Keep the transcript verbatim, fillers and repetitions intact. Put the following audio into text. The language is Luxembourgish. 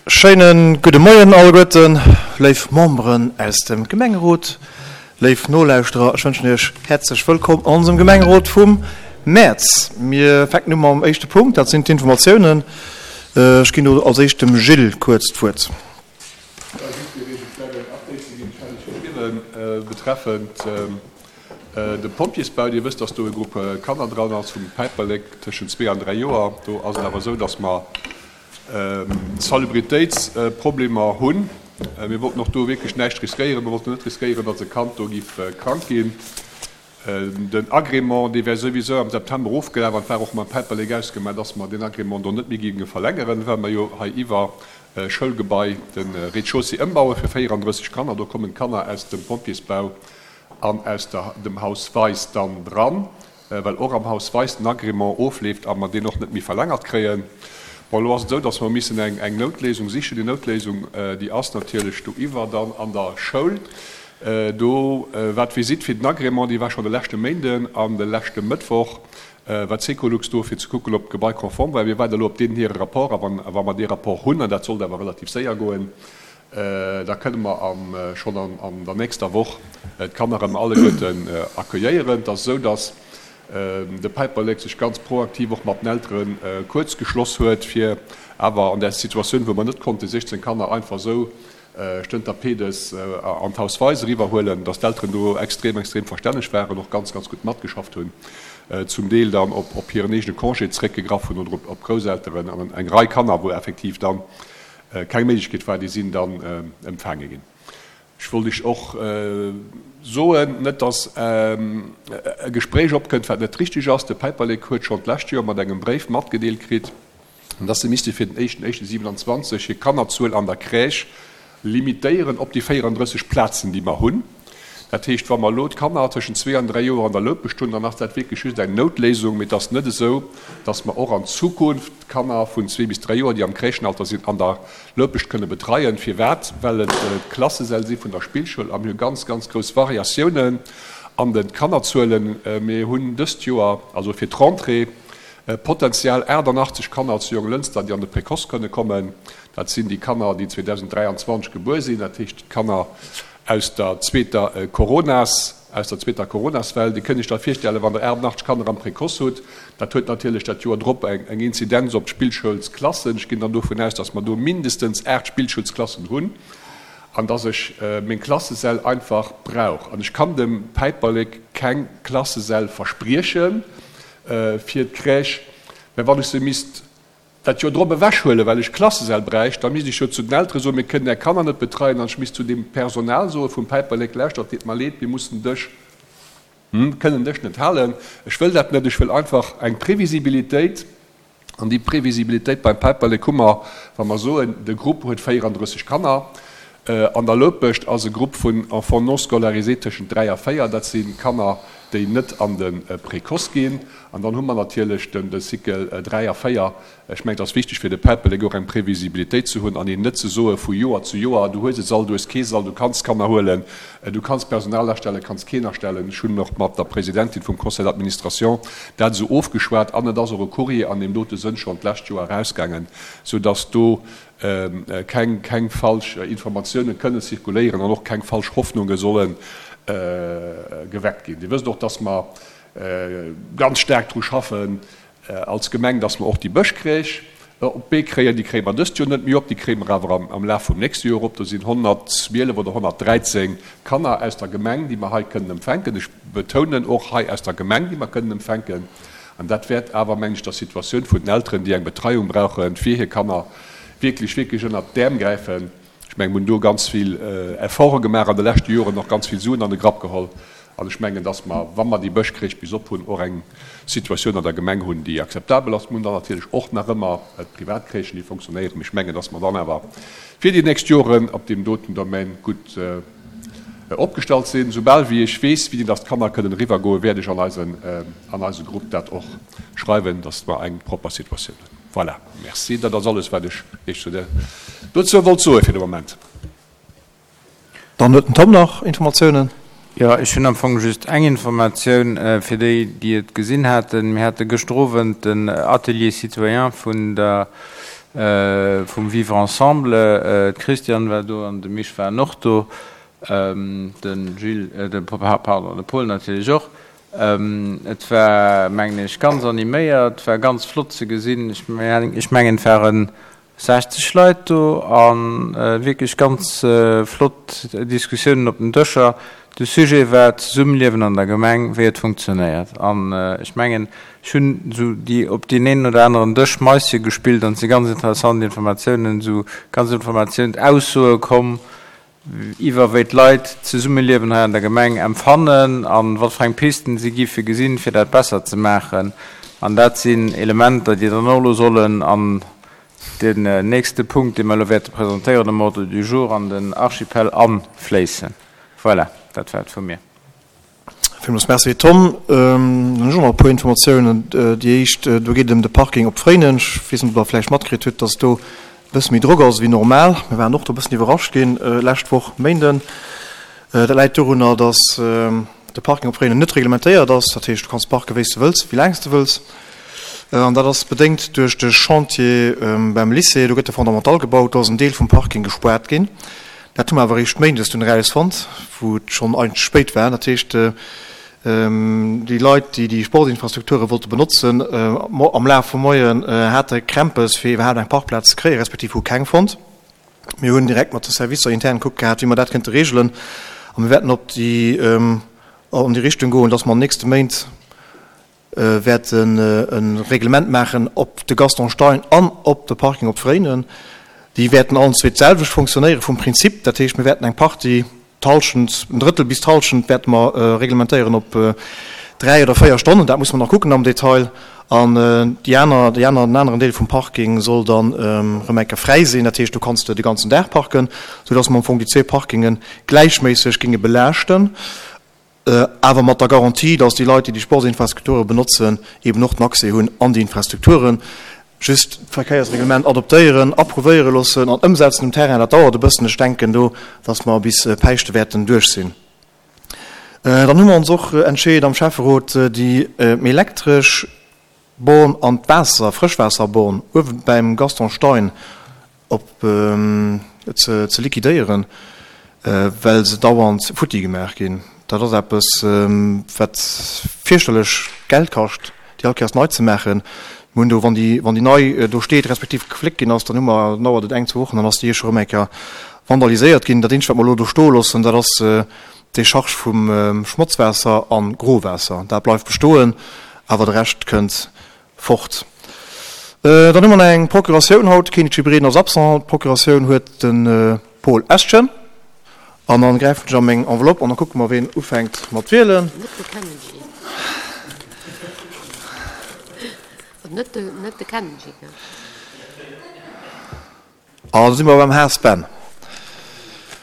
Schéine gudde Moien alleguerten, léif Memberen aus dem Gemengerot, léif Nolauschterer. Ech wënschen Iech häerzlech wëllkomm an onsem Gemengerot vum Mäerz. Mir fänken u mam éischte Punkt, dat sinn d'Informatiounen. Ech ginn do als éischt dem Gilles kuerz d'Wuert. Jo, just fir Iech e klengen Update ze ginn, ech hat Iech geschriwwen betreffend de Pompjeesbau. Dir wësst, dass do e Grupp Kanner dran ass vum Päiperlek tëschent zwee an dräi Joer. Do ass et awer esou, dass mer Salubritéitsproblemer hunn. Mir wollten och do wierklech näischt riskéieren. Mir wollten net riskéieren, datt e Kand do géif krank ginn. Den Agrément, dee wär souwisou am September ofgelaf an et war och mam Päiperlek ausgemaach, datt mer deen Agrément do net méi géinge verlängeren, well mer jo hei iwwer Schoulgebai de Rez-de-chaussée ëmbaue fir véierandrësseg Kanner. Do kommen d'Kanner aus dem Pompjeesbau an aus dem Haus Weis dann dran. well och am Haus Weis den Agrément ofleeft a mer deen och net méi verlängert kréien. Bon, elo ass et esou, dass mer missen eng eng Noutléisung sichen. Déi Noutléisung, déi ass natierlech doiwwer dann an der Schoul. Do war d'Visitt fir den Agrément, déi war schonn de leschte Méinden an de leschte Mëttwoch war d'Secolux do, fir ze kucken, ob d'Gebai konform war. Mir waarde elo op deenen hire Rapport a wann wa mer dee Rapport hunn, an dat sollt awer relativ séier goen, da kënne mer am schonn an an der nächster Woch d'Kanner erëm alleguerten accueilléieren. Et ass esou, dass de Päiperlek sech ganz proaktiv och mat den Eltere kuerz geschloss huet, fir awer an där Situatioun, wou mer net konnte siechzéng Kanner einfach esou stënter pedes an d'Haus Weis eriwwerhuelen, dass d'Elteren do extrem, extrem verstänneg waren, och ganz, ganz gutt matgeschafft hunn, zum Deel dann op op hiren eegene Congé zeréckgegraff hunn oder op op Grousselteren an eng Rei Kanner, wou effektiv dann keng Méiglechkeet war, déi sinn dann empfaange ginn. Ech wollt Iech och soen, net datt e Gespréich opkënnt, wat net richtig ass, De Päiperlek huet schonn d'lescht Joer mat engem Bréif matgedeelt kritt, datt se misste fir den éischten éischten siewenanzwanzeg hir Kannerzuel an der Crèche limitéieren op déi véierandrësseg Plazen, déi mer hunn. Dat heescht, wa mer elo d'Kanner tëschent zwee an dräi Joer an der Loupescht hunn, dann ass dat wierklech just eng Noutléisung, mee et ass net esou, dass mer och an Zukunft d'Kanner vun zwee bis dräi Joer, déi am Crèchenalter sinn, an der Loupescht kënne betreien. Firwat? Well et d'Klassesäll si vun der Spillschoul a mir hu ganz, ganz grouss Variatiounen an de Kannerzuelen. Mir hunn dëst Joer, also fir d'Rentrée, potenziell achtannachtzeg Kanner zu Jonglënster, déi an de Précoce kënne kommen. Dat sinn déi Kanner, déi zweedausenddräianzwanzeg gebuer sinn, dat heescht d'Kanner aus der zweeter Coronas, aus der zweeter Coronaswell. Dir kënnt Iech da virstellen, wann Der achtundachtzeg Kanner am Précoce hutt, dat huet natierlech dat Joer drop eng eng Inzidenz op d'Spillschoulsklassen. Ech ginn dann dovun aus, dass mer do mindestens aacht Spillschoulsklassen hunn an dass ech meng Klassesäll einfach brauch. An ech kann dem Päiperlek keng Klassesäll versprieche fir d'Crèche, mä wann ech se misst dat Joer drop ewechhuelen, well ech Klassesäll bräicht, da misst ech jo zu den Eltere soen, mir kënnen Är Kanner net betreien, an ech misst zu dem Personal soe vum Päiperlek, Lauschtert, deet mer leed, mir mussen dech, kënnen dech net halen. Ech wëll dat net. Ech wëll einfach eng Previsibilitéit. An déi Previsibilitéit beim Päiperlek hu mer, wa mer soen, de Grupp huet véierandrësseg Kanner. An der Loupescht ass e Grupp vun Enfants non scolarisés tëschent dräi a véier. Dat si Kanner, déi net an de Précoce ginn. An dann hu mer natierlech de Cycle dräi a véier. Ech mengen, et ass wichteg fir de Päiperlek och eng Previsibilitéit ze hunn an een net ze soe vu Joer zu Joer, du hues e Sall, du hues kee Sall, du kanns Kanner huelen, du kanns Personal astellen, kanns keen astellen. Ech hunn och mat der Presidentin vum Conseil d'administration dat esou ofgeschwat an et ass och e Courrier an deem dote Sënn schonn d'lescht Joer erausgaangen, soudass do keng keng falsch Informatiounen kënnen zirkuléieren an och keng falsch Hoffnunge solle geweckt ginn. Dir wësst och, dass mer ganz staark dru schaffen als Gemeng, dass mer och déi Bëschcrèche op d'Bee kréien. Déi kréie mer dëst Joer net méi op, déi kréie mer awer am Laf vum nächste Joer op. Do sinn honnertzwielef oder honnertdräizéng Kanner aus der Gemeng, déi mer hei kënnen empfänken. Ech betounen, och hei aus der Gemeng, déi mer kënnen empfänken. An dat wäert awer, mengen ech, der Situatioun vun den Elteren, déi eng Betreiung brauche fir hir Kanner, wierklech, wierklech ënnert d'Äerm gräifen. Ech mengen, mir hunn do ganz vill Efforte gemaach an de leschte Joren, och ganz vill Suen an de Grapp geholl. An ech mengen, dass mer, wa mer déi Bëschcrèche bis op hunn, och eng Situatioun an der Gemeng hunn, déi akzeptabel ass. Mir hunn dann natierlech och nach ëmmer d'Privatcrèchen, déi fonctionnéieren. Mee ech mengen, dass mer dann awer fir déi nächst Joren op deem doten Domaine gutt opgestallt sinn. Soubal wéi ech weess, wéini dass d'Kanner kënnen eriwwergoen, wäert ech an eisen, an eise Grupp dat och schreiwen, dass mer eng propper Situatioun hunn. Voilà, merci. Dat ass alles, wat ech Iech zu der, dozou wollt soe fir de Moment. Dann huet den Tom nach Informatiounen. Jo, ech hunn am Fong just eng Informatioun fir déi, déi et gesinn haten. Mir hate gëschter Owend den Atelier citoyen vun der, vum Vivre ensemble. D'Christiane war do an de Misch waren och do, de Gilles, de, pardon, de Paul natierlech och. Et war, mengen ech, ganz animéiert, war ganz flott ze gesinn. Ech mengen, et waren sechzeg Leit do a wierklech ganz flott Diskussiounen op den Dëscher. De Sujet war d'Zesummeliewen an der Gemeng, wéi et funktionéiert. An ech mengen, ech hunn esou déi op deen een oder aneren Dësch Maische gespillt an et si ganz interessant Informatiounen, esou ganz Informatiouns, Aussoe komm iwwer wéi d'Leit d'Zesummeliewen hei an der Gemeng empfannen an wat fir eng Pisten si giffe gesinn, fir dat besser ze maachen. An dat sinn Elementer, déi dann och elo sollen an den nächste Punkt, dee mer elo wäerte presentéieren um Ordre du jour, an den Archipel anfléissen. Voilà, dat war et vu mir. Villmools Merci, Tom. Dann hunn ech och nach e puer Informatiounen. Déi éischt, do geet et ëm de Parking op Fréinen. Ech weess net, ob Der vläicht matkritt hutt, dass do e bësse méi Drock ass ewéi normal. Mir waren och do e bëssen iwwerrascht ginn lescht Woch Méinden. Dat läit dorunner, dass de Parking op Fréinen net reglementéiert ass. Dat heescht, du kanns parke wéi s de wëlls, wéi laang s de wëlls. An dat ass bedéngt duerch de Chantier beim Lycée. Do gëtt de Fondamental gebaut, do ass en Deel vum Parking gespaart ginn. Dat hu mer awer eréischt méindes dunn erausfonnt, wou et schonn eigentlech spéit war. Dat heescht, déi Leit, déi déi Sportinfrastrukture wollte benotzen, am Laf vum Moien hate Krämpes, fir iwwerhaapt eng Parkplaz ze kréien, respektiv hu keng fonnt. Mir hunn direkt mat de Servicer intern gekuckt gehat, wéi mer dat kënnte reegelen. A mir wäerten op déi, an déi Richtung goen, dass mer an den nächste Méint wäerten e Reglement maachen op de Gaston Stein an op de Parking op Fréinen. Déi wäerten allen zwee d'selwecht fonctionnéiere vum Prinzip. Dat heescht, mir wäerten eng Partie, d'Hallschent, en Drëttel bis d'Hallschent wäerte mer reglementéieren op dräi oder véier Stonnen. Dat musse mer nach kucken am Detail. An déi aner, déi aner, den aneren Deel vum Parking soll dann erëm eng Kéier fräi sinn. Dat heescht, do kanns de de ganzen Dag parken, soudass mer am Fong déi zwee Parkinge gläichméisseg géinge belaaschten. Awer mat der Garantie, dass déi Leit, déi déi Sportsinfrastrukture benotzen, eben och den Accès hunn an déi Infrastrukturen. Just d'Verkéiersreglement adoptéieren, approuvéiere loossen an ëmsetzen um Terrain, dat dauert e bëssen. Ech denken do, dass mer bis Päischte wäerten duerch sinn. Dann hu mer ons och entscheet am Schäfferot, déi elektresch Born an d'Waasser, Frëschwaasserborn uewe bäim Gaston Stein op ze liquidéieren, well se dauernd futti gemaach ginn. Dat ass eppes, wat fierchterlech Geld kascht, déi all Kéiers nei ze maachen. Mir hunn do, wann déi, wann déi nei do steet, respektiv gefléckt ginn ass, dann hu mer, dann dauert et eng, zwou Wochen, dann ass déi scho rëm eng Kéier vandaliséiert ginn. Dat eenzegt, wat mer elo do stoe loossen, dat ass d'Décharge vum Schmotzwaasser a Growaasser. Dat bleift bestoen, awer de Rescht kënnt fort. Dann hu mer nach eng Procuratioun haut. Kenichi Breden ass absent. D'Procuratioun huet de Paul Eschen. An dann gräifen ech a meng Enveloppe an da kucke mer, ween ufänkt mat wielen. An da si mer beim Haas Ben.